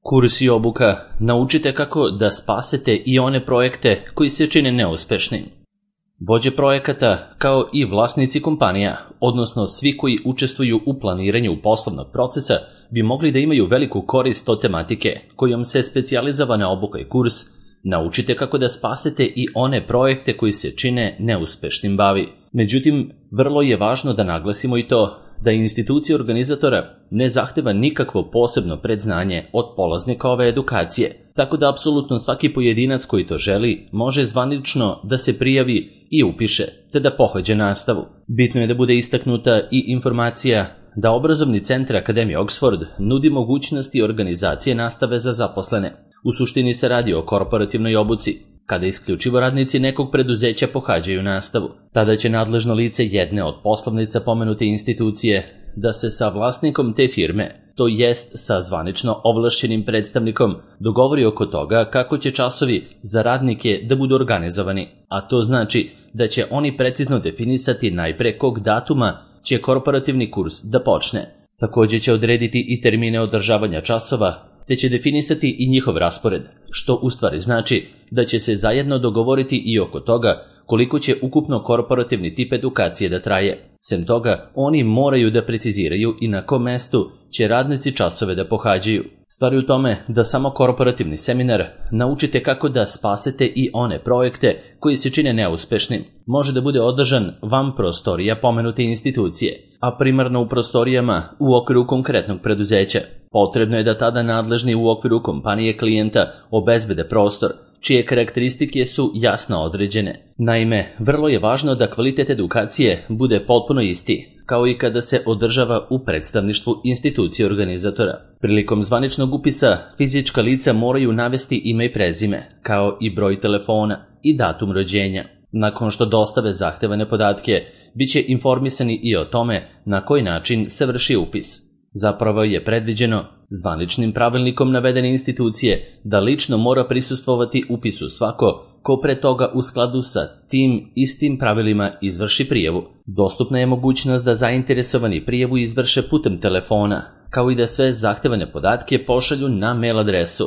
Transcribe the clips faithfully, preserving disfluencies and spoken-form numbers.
Kurs i obuka naučite kako da spasete i one projekte koji se čine neuspešnim. Vođe projekata, kao i vlasnici kompanija, odnosno svi koji učestvuju u planiranju poslovnog procesa, bi mogli da imaju veliku korist od tematike kojom se specijalizovana obuka i kurs naučite kako da spasete i one projekte koji se čine neuspešnim bavi. Međutim, vrlo je važno da naglasimo i to da institucija organizatora ne zahteva nikakvo posebno predznanje od polaznika ove edukacije, tako da apsolutno svaki pojedinac koji to želi može zvanično da se prijavi i upiše, te da pohađa nastavu. Bitno je da bude istaknuta i informacija da obrazovni centar Akademije Oxford nudi mogućnosti organizacije nastave za zaposlene. U suštini se radi o korporativnoj obuci, kada isključivo radnici nekog preduzeća pohađaju nastavu. Tada će nadležno lice jedne od poslovnica pomenute institucije da se sa vlasnikom te firme, to jest sa zvanično ovlašćenim predstavnikom, dogovori oko toga kako će časovi za radnike da budu organizovani, a to znači da će oni precizno definisati najpre kog datuma će korporativni kurs da počne. Također će odrediti i termine održavanja časova, te će definisati i njihov raspored, što u stvari znači da će se zajedno dogovoriti i oko toga koliko će ukupno korporativni tip edukacije da traje. Sem toga, oni moraju da preciziraju i na kom mestu će radnici časove da pohađaju. Stvar je u tome da samo korporativni seminar naučite kako da spasete i one projekte koji se čine neuspešnim. Može da bude održan van prostorija pomenute institucije, a primarno u prostorijama u okviru konkretnog preduzeća. Potrebno je da tada nadležni u okviru kompanije klijenta obezbede prostor, čije karakteristike su jasno određene. Naime, vrlo je važno da kvalitet edukacije bude potpuno isti, kao i kada se održava u predstavništvu institucije organizatora. Prilikom zvaničnog upisa, fizička lica moraju navesti ime i prezime, kao i broj telefona i datum rođenja. Nakon što dostave zahtevane podatke, bit će informisani i o tome na koji način se vrši upis. Zapravo je predviđeno zvaničnim pravilnikom navedene institucije da lično mora prisustvovati upisu svako ko pre toga u skladu sa tim istim pravilima izvrši prijavu. Dostupna je mogućnost da zainteresovani prijavu izvrše putem telefona, kao i da sve zahtevane podatke pošalju na mail adresu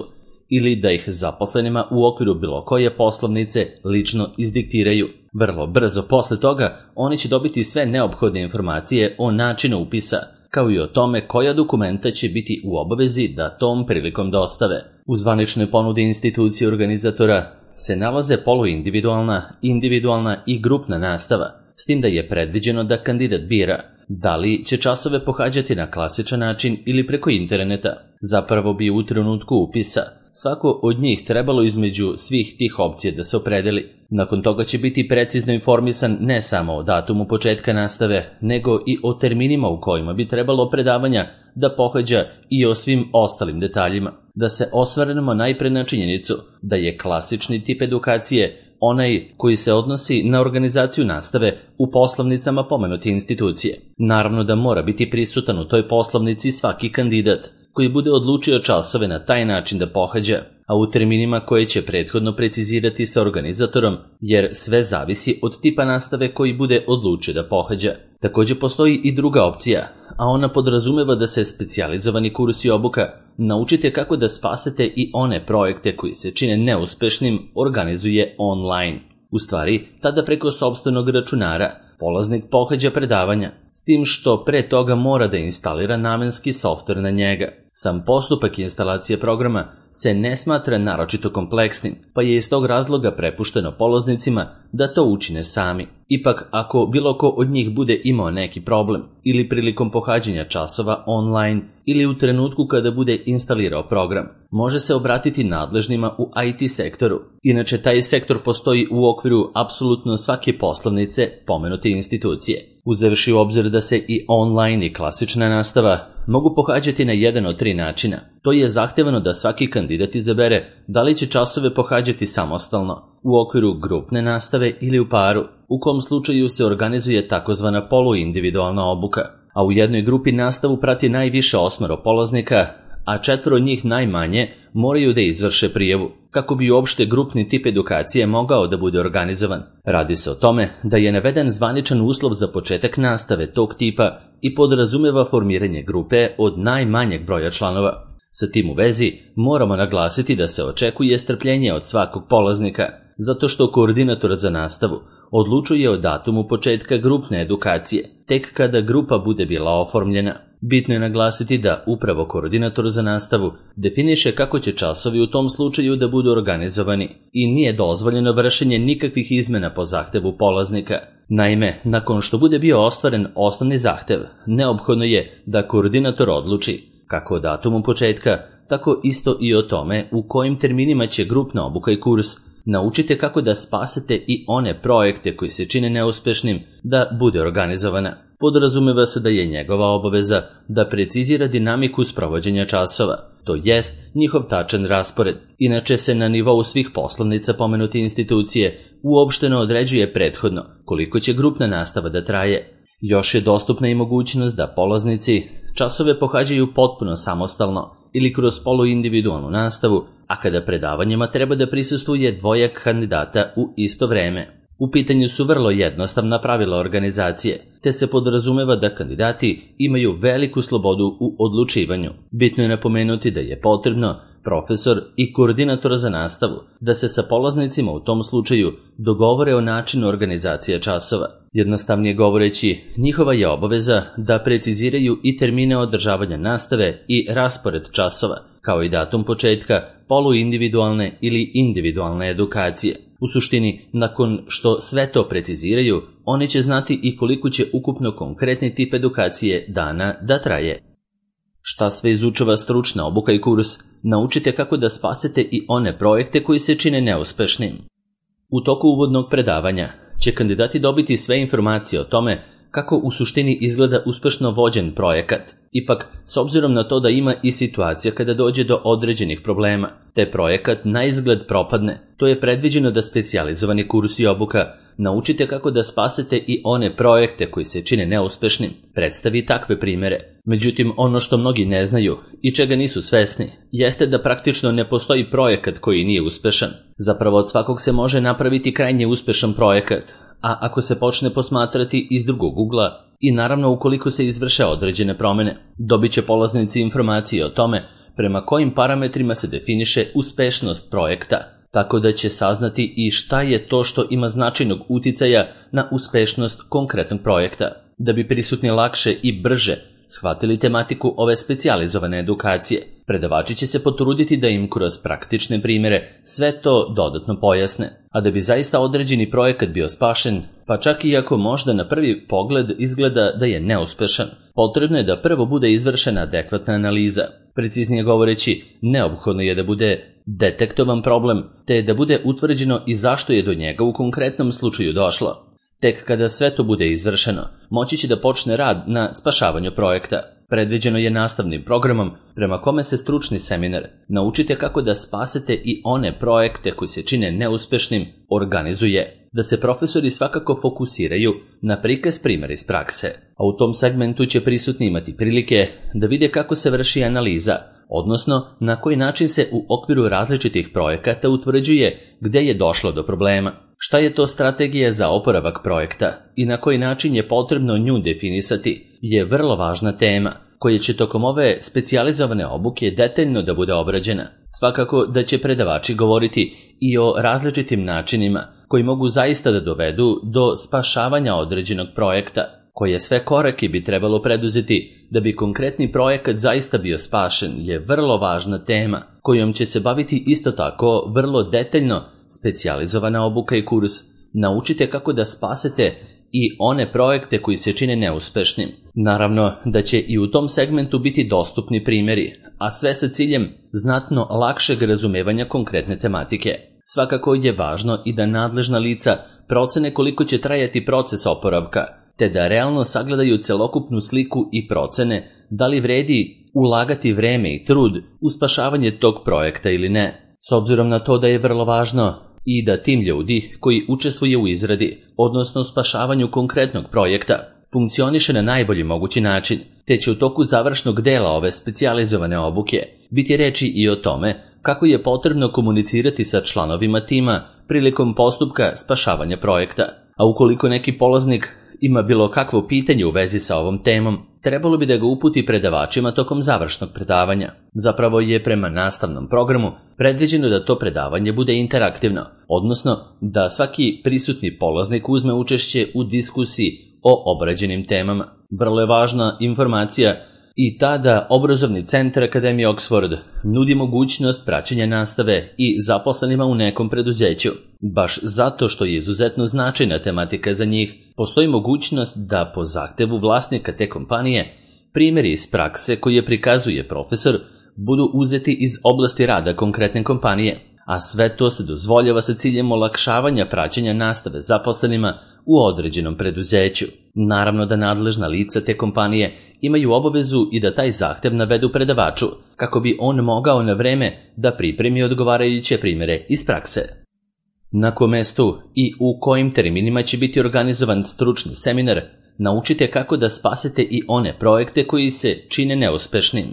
ili da ih zaposlenima u okviru bilo koje poslovnice lično izdiktiraju. Vrlo brzo posle toga oni će dobiti sve neophodne informacije o načinu upisa, kao i o tome koja dokumenta će biti u obavezi da tom prilikom dostave. U zvaničnoj ponudi institucije organizatora se nalaze poluindividualna, individualna i grupna nastava, s tim da je predviđeno da kandidat bira da li će časove pohađati na klasičan način ili preko interneta. Zapravo bi u trenutku upisa svako od njih trebalo između svih tih opcija da se opredeli. Nakon toga će biti precizno informisan ne samo o datumu početka nastave, nego i o terminima u kojima bi trebalo predavanja da pohađa i o svim ostalim detaljima. Da se osvrnemo najpre na činjenicu da je klasični tip edukacije onaj koji se odnosi na organizaciju nastave u poslovnicama pomenute institucije. Naravno da mora biti prisutan u toj poslovnici svaki kandidat koji bude odlučio časove na taj način da pohađa, a u terminima koje će prethodno precizirati sa organizatorom, jer sve zavisi od tipa nastave koji bude odlučio da pohađa. Također postoji i druga opcija, a ona podrazumeva da se specijalizovani kurs i obuka naučite kako da spasete i one projekte koji se čine neuspešnim organizuje online. U stvari, tada preko sopstvenog računara polaznik pohađa predavanja, s tim što pre toga mora da instalira namenski softver na njega. Sam postupak instalacije programa se ne smatra naročito kompleksnim, pa je iz tog razloga prepušteno polaznicima da to učine sami. Ipak, ako bilo ko od njih bude imao neki problem, ili prilikom pohađanja časova online, ili u trenutku kada bude instalirao program, može se obratiti nadležnima u I T sektoru. Inače, taj sektor postoji u okviru apsolutno svake poslovnice pomenute institucije. Uzevši u obzir da se i online i klasična nastava mogu pohađati na jedan od tri načina. To je zahtevano da svaki kandidat izabere da li će časove pohađati samostalno, u okviru grupne nastave ili u paru, u kom slučaju se organizuje takozvana poluindividualna obuka, a u jednoj grupi nastavu prati najviše osmero polaznika, a četvoro njih najmanje moraju da izvrše prijavu, kako bi uopšte grupni tip edukacije mogao da bude organizovan. Radi se o tome da je naveden zvaničan uslov za početak nastave tog tipa i podrazumeva formiranje grupe od najmanjeg broja članova. Sa tim u vezi moramo naglasiti da se očekuje strpljenje od svakog polaznika, zato što koordinator za nastavu odlučuje o datumu početka grupne edukacije, tek kada grupa bude bila oformljena. Bitno je naglasiti da upravo koordinator za nastavu definiše kako će časovi u tom slučaju da budu organizovani i nije dozvoljeno vršenje nikakvih izmena po zahtevu polaznika. Naime, nakon što bude bio ostvaren osnovni zahtev, neophodno je da koordinator odluči kako o datumu početka, tako isto i o tome u kojim terminima će grupna obuka i kurs. Naučite kako da spasete i one projekte koji se čine neuspešnim da bude organizovana. Podrazumeva se da je njegova obaveza da precizira dinamiku sprovođenja časova, to jest njihov tačan raspored. Inače se na nivou svih poslovnica pomenute institucije uopšteno određuje prethodno koliko će grupna nastava da traje. Još je dostupna i mogućnost da polaznici časove pohađaju potpuno samostalno ili kroz poluindividualnu nastavu, a kada predavanjima treba da prisustvuje dvojak kandidata u isto vreme. U pitanju su vrlo jednostavna pravila organizacije, te se podrazumeva da kandidati imaju veliku slobodu u odlučivanju. Bitno je napomenuti da je potrebno profesor i koordinator za nastavu da se sa polaznicima u tom slučaju dogovore o načinu organizacije časova. Jednostavnije govoreći, njihova je obaveza da preciziraju i termine održavanja nastave i raspored časova, kao i datum početka poluindividualne ili individualne edukacije. U suštini, nakon što sve to preciziraju, oni će znati i koliko će ukupno konkretni tip edukacije dana da traje. Šta sve izučava stručna obuka i kurs? Naučite kako da spasete i one projekte koji se čine neuspešnim. U toku uvodnog predavanja će kandidati dobiti sve informacije o tome kako u suštini izgleda uspešno vođen projekat. Ipak, s obzirom na to da ima i situacija kada dođe do određenih problema, te projekat na izgled propadne, to je predviđeno da specijalizovani kurs i obuka naučite kako da spasete i one projekte koji se čine neuspešnim, predstavi takve primere. Međutim, ono što mnogi ne znaju i čega nisu svesni, jeste da praktično ne postoji projekat koji nije uspešan. Zapravo od svakog se može napraviti krajnje uspešan projekat, a ako se počne posmatrati iz drugog ugla i naravno ukoliko se izvrše određene promene, dobit će polaznici informacije o tome prema kojim parametrima se definiše uspešnost projekta, tako da će saznati i šta je to što ima značajnog uticaja na uspešnost konkretnog projekta. Da bi prisutni lakše i brže shvatili tematiku ove specijalizovane edukacije, predavači će se potruditi da im kroz praktične primere sve to dodatno pojasne. A da bi zaista određeni projekat bio spašen, pa čak i ako možda na prvi pogled izgleda da je neuspešan, potrebno je da prvo bude izvršena adekvatna analiza. Preciznije govoreći, neophodno je da bude detektovan problem, te da bude utvrđeno i zašto je do njega u konkretnom slučaju došlo. Tek kada sve to bude izvršeno, moći će da počne rad na spašavanju projekta. Predviđeno je nastavnim programom prema kome se stručni seminar Naučite kako da spasete i one projekte koji se čine neuspešnim organizuje, da se profesori svakako fokusiraju na prikaz primjera iz prakse, a u tom segmentu će prisutni imati prilike da vide kako se vrši analiza, odnosno na koji način se u okviru različitih projekata utvrđuje gde je došlo do problema. Šta je to strategija za oporavak projekta i na koji način je potrebno nju definisati je vrlo važna tema koja će tokom ove specijalizovane obuke detaljno da bude obrađena. Svakako da će predavači govoriti i o različitim načinima koji mogu zaista da dovedu do spašavanja određenog projekta, koje sve korake bi trebalo preduzeti da bi konkretni projekat zaista bio spašen je vrlo važna tema kojom će se baviti isto tako vrlo detaljno specijalizovana obuka i kurs. Naučite kako da spasete i one projekte koji se čine neuspešnim. Naravno da će i u tom segmentu biti dostupni primjeri, a sve sa ciljem znatno lakšeg razumevanja konkretne tematike. Svakako je važno i da nadležna lica procene koliko će trajati proces oporavka, te da realno sagledaju celokupnu sliku i procene da li vredi ulagati vreme i trud u spašavanje tog projekta ili ne. S obzirom na to da je vrlo važno i da tim ljudi koji učestvuje u izradi, odnosno spašavanju konkretnog projekta, funkcioniše na najbolji mogući način, te će u toku završnog dela ove specijalizovane obuke biti reči i o tome kako je potrebno komunicirati sa članovima tima prilikom postupka spašavanja projekta. A ukoliko neki polaznik ima bilo kakvo pitanje u vezi sa ovom temom, trebalo bi da ga uputi predavačima tokom završnog predavanja. Zapravo je prema nastavnom programu predviđeno da to predavanje bude interaktivno, odnosno da svaki prisutni polaznik uzme učešće u diskusiji o obrađenim temama. Vrlo je važna informacija i ta da Obrazovni centar Akademije Oxford nudi mogućnost praćenja nastave i zaposlenima u nekom preduzeću. Baš zato što je izuzetno značajna tematika za njih, postoji mogućnost da po zahtevu vlasnika te kompanije primjeri iz prakse koje prikazuje profesor budu uzeti iz oblasti rada konkretne kompanije, a sve to se dozvoljava sa ciljem olakšavanja praćenja nastave zaposlenima u određenom preduzeću. Naravno da nadležna lica te kompanije imaju obavezu i da taj zahtev navedu predavaču, kako bi on mogao na vreme da pripremi odgovarajuće primjere iz prakse. Na kom mestu i u kojim terminima će biti organizovan stručni seminar, naučite kako da spasete i one projekte koji se čine neuspešnim.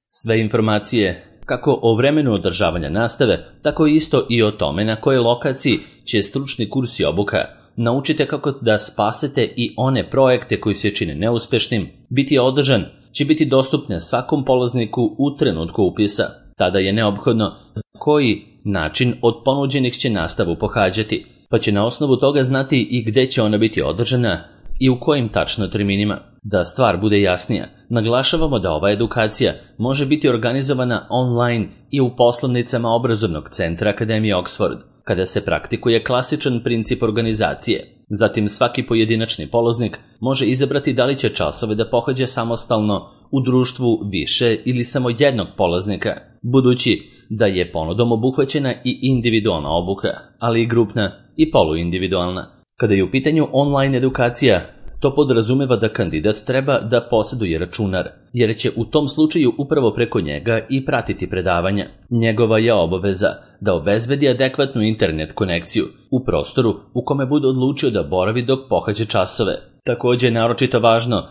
Sve informacije kako o vremenu održavanja nastave, tako isto i o tome na kojoj lokaciji će stručni kurs i obuka, naučite kako da spasete i one projekte koji se čine neuspešnim, biti održan, će biti dostupne svakom polazniku u trenutku upisa. Tada je neophodno koji način od ponuđenih će nastavu pohađati, pa će na osnovu toga znati i gde će ona biti održana i u kojim tačno terminima. Da stvar bude jasnija, naglašavamo da ova edukacija može biti organizovana online i u poslovnicama Obrazovnog centra Akademije Oxford, kada se praktikuje klasičan princip organizacije. Zatim svaki pojedinačni polaznik može izabrati da li će časove da pohađa samostalno u društvu više ili samo jednog polaznika, budući da je ponudom obuhvaćena i individualna obuka, ali i grupna i poluindividualna. Kada je u pitanju online edukacija, to podrazumeva da kandidat treba da posjeduje računar, jer će u tom slučaju upravo preko njega i pratiti predavanja. Njegova je obaveza da obezbedi adekvatnu internet konekciju u prostoru u kome bude odlučio da boravi dok pohađa časove. Također je naročito važno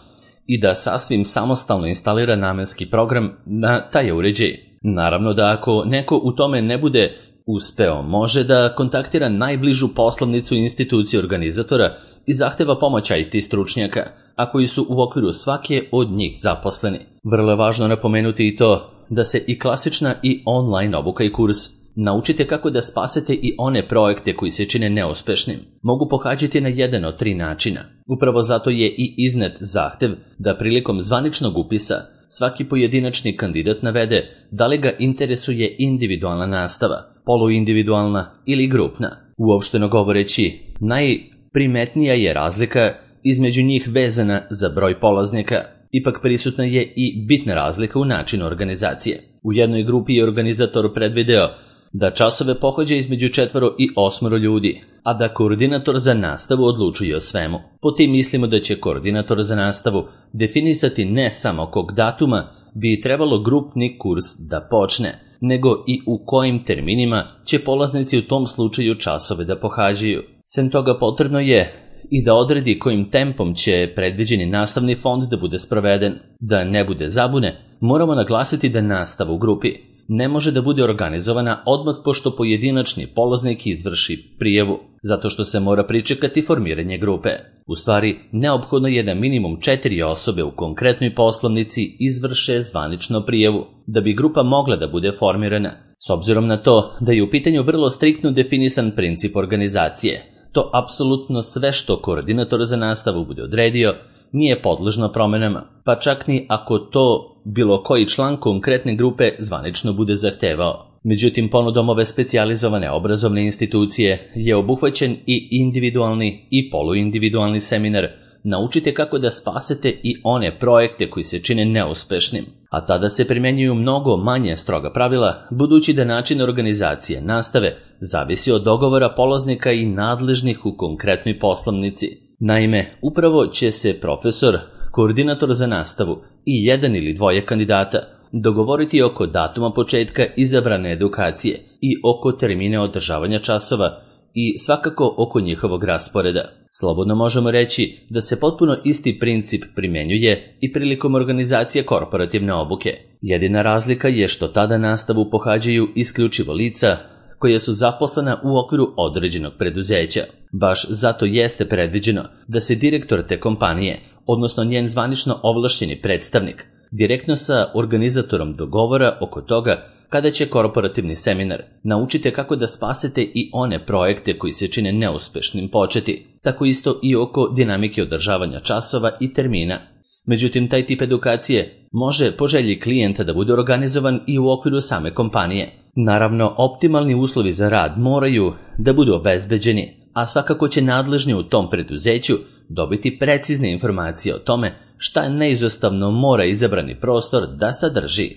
i da sasvim samostalno instalira namenski program na taj uređaj. Naravno da ako neko u tome ne bude uspeo, može da kontaktira najbližu poslovnicu institucije organizatora i zahteva pomoć I T stručnjaka, a koji su u okviru svake od njih zaposleni. Vrlo je važno napomenuti i to da se i klasična i online obuka i kurs naučite kako da spasete i one projekte koji se čine neuspešnim. Mogu pohađati na jedan od tri načina. Upravo zato je i iznet zahtev da prilikom zvaničnog upisa svaki pojedinačni kandidat navede da li ga interesuje individualna nastava, poluindividualna ili grupna. Uopšteno govoreći, najprimetnija je razlika između njih vezana za broj polaznika. Ipak prisutna je i bitna razlika u načinu organizacije. U jednoj grupi je organizator predvideo da časove pohađa između četvoro i osmoro ljudi, a da koordinator za nastavu odlučuje o svemu. Po tim mislimo da će koordinator za nastavu definisati ne samo kog datuma bi trebalo grupni kurs da počne, nego i u kojim terminima će polaznici u tom slučaju časove da pohađaju. Sem toga potrebno je i da odredi kojim tempom će predviđeni nastavni fond da bude sproveden. Da ne bude zabune, moramo naglasiti da nastava u grupi ne može da bude organizovana odmah pošto pojedinačni polaznik izvrši prijavu, zato što se mora pričekati formiranje grupe. U stvari, neophodno je da minimum četiri osobe u konkretnoj poslovnici izvrše zvanično prijavu, da bi grupa mogla da bude formirana. S obzirom na to da je u pitanju vrlo striktno definisan princip organizacije, to apsolutno sve što koordinator za nastavu bude odredio nije podložno promenama, pa čak ni ako to bilo koji član konkretne grupe zvanično bude zahtevao. Međutim, ponudom ove specijalizovane obrazovne institucije je obuhvaćen i individualni i poluindividualni seminar. Naučite kako da spasete i one projekte koji se čine neuspešnim, a tada se primjenjuju mnogo manje stroga pravila, budući da način organizacije nastave zavisi od dogovora polaznika i nadležnih u konkretnoj poslovnici. Naime, upravo će se profesor, koordinator za nastavu i jedan ili dvoje kandidata dogovoriti oko datuma početka izabrane edukacije i oko termine održavanja časova i svakako oko njihovog rasporeda. Slobodno možemo reći da se potpuno isti princip primjenjuje i prilikom organizacije korporativne obuke. Jedina razlika je što tada nastavu pohađaju isključivo lica koja su zaposlena u okviru određenog preduzeća. Baš zato jeste predviđeno da se direktor te kompanije, odnosno njen zvanično ovlašćeni predstavnik, direktno sa organizatorom dogovora oko toga kada će korporativni seminar Naučite kako da spasete i one projekte koji se čine neuspešnim početi, tako isto i oko dinamike održavanja časova i termina. Međutim, taj tip edukacije može po želji klijenta da bude organizovan i u okviru same kompanije. Naravno, optimalni uslovi za rad moraju da budu obezbeđeni, a svakako će nadležni u tom preduzeću dobiti precizne informacije o tome šta neizostavno mora izabrani prostor da sadrži.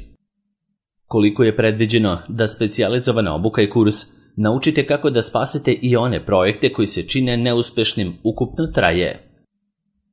Koliko je predviđeno da specijalizovana obuka i kurs Naučite kako da spasete i one projekte koji se čine neuspešnim ukupno traje.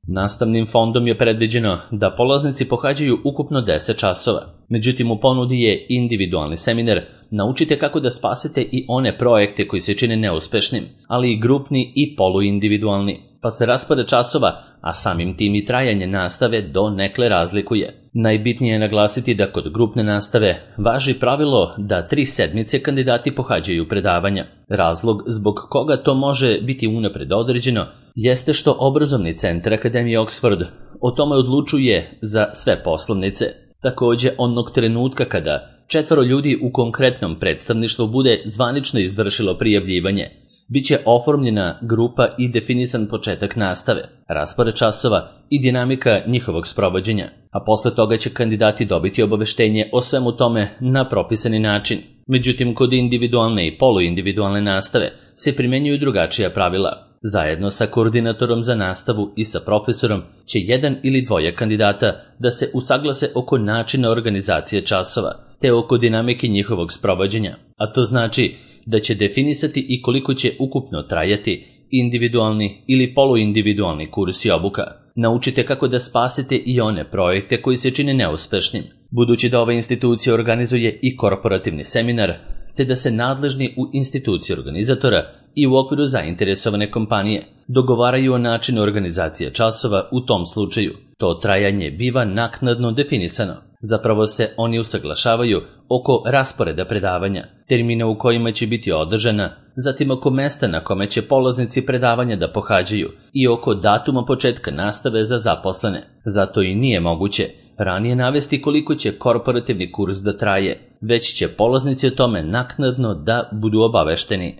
Nastavnim fondom je predviđeno da polaznici pohađaju ukupno deset časova, međutim u ponudi je individualni seminar Naučite kako da spasete i one projekte koji se čine neuspešnim, ali i grupni i poluindividualni, pa se raspored časova, a samim tim i trajanje nastave do nekle razlikuje. Najbitnije je naglasiti da kod grupne nastave važi pravilo da tri sedmice kandidati pohađaju predavanja. Razlog zbog koga to može biti unapred određeno jeste što obrazovni centar Akademije Oxford o tome odlučuje za sve poslovnice. Takođe, onog trenutka kada četvoro ljudi u konkretnom predstavništvu bude zvanično izvršilo prijavljivanje, biće oformljena grupa i definisan početak nastave, raspored časova i dinamika njihovog sprovođenja, a posle toga će kandidati dobiti obaveštenje o svemu tome na propisani način. Međutim, kod individualne i poluindividualne nastave se primenjuju drugačija pravila. Zajedno sa koordinatorom za nastavu i sa profesorom će jedan ili dvoje kandidata da se usaglase oko načina organizacije časova, te oko dinamike njihovog sprovođenja, a to znači da će definisati i koliko će ukupno trajati individualni ili poluindividualni kurs i obuka. Naučite kako da spasete i one projekte koji se čine neuspešnim, budući da ova institucija organizuje i korporativni seminar, te da se nadležni u instituciji organizatora i u okviru zainteresovane kompanije dogovaraju o načinu organizacije časova u tom slučaju. To trajanje biva naknadno definisano. Zapravo se oni usaglašavaju oko rasporeda predavanja, termina u kojima će biti održana, zatim oko mesta na kome će polaznici predavanja da pohađaju i oko datuma početka nastave za zaposlene. Zato i nije moguće ranije navesti koliko će korporativni kurs da traje, već će polaznici o tome naknadno da budu obavešteni.